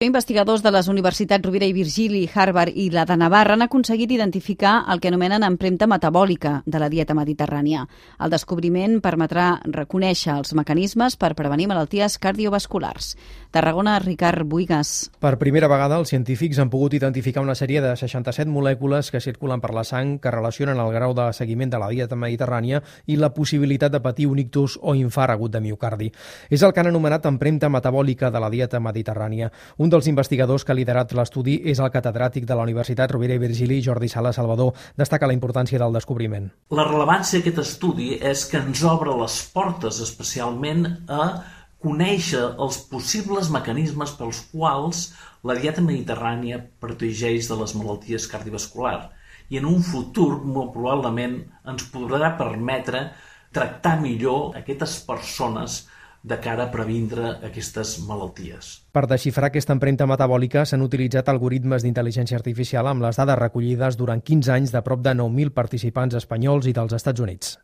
Investigadors de les universitats Rovira i Virgili, Harvard i la de Navarra han aconseguit identificar el que anomenen empremta metabòlica de la dieta mediterrània. El descobriment permetrà reconèixer els mecanismes per prevenir malalties cardiovasculars. Tarragona, Ricard Buigas. Per primera vegada, els científics han pogut identificar una sèrie de 67 molècules que circulen per la sang que relacionen el grau de seguiment de la dieta mediterrània i la possibilitat de patir un ictus o infart agut de miocardi. És el que han anomenat empremta metabòlica de la dieta mediterrània. Un dels investigadors que ha liderat l'estudi és el catedràtic de la Universitat Rovira i Virgili, Jordi Sala Salvador. Destaca la importància del descobriment. La rellevància d'aquest estudi és que ens obre les portes especialment a conèixer els possibles mecanismes pels quals la dieta mediterrània protegeix de les malalties cardiovasculars i en un futur molt probablement ens podrà permetre tractar millor aquestes persones de cara a previndre aquestes malalties. Per desxifrar aquesta empremta metabòlica s'han utilitzat algoritmes d'intel·ligència artificial amb les dades recollides durant 15 anys de prop de 9.000 participants espanyols i dels Estats Units.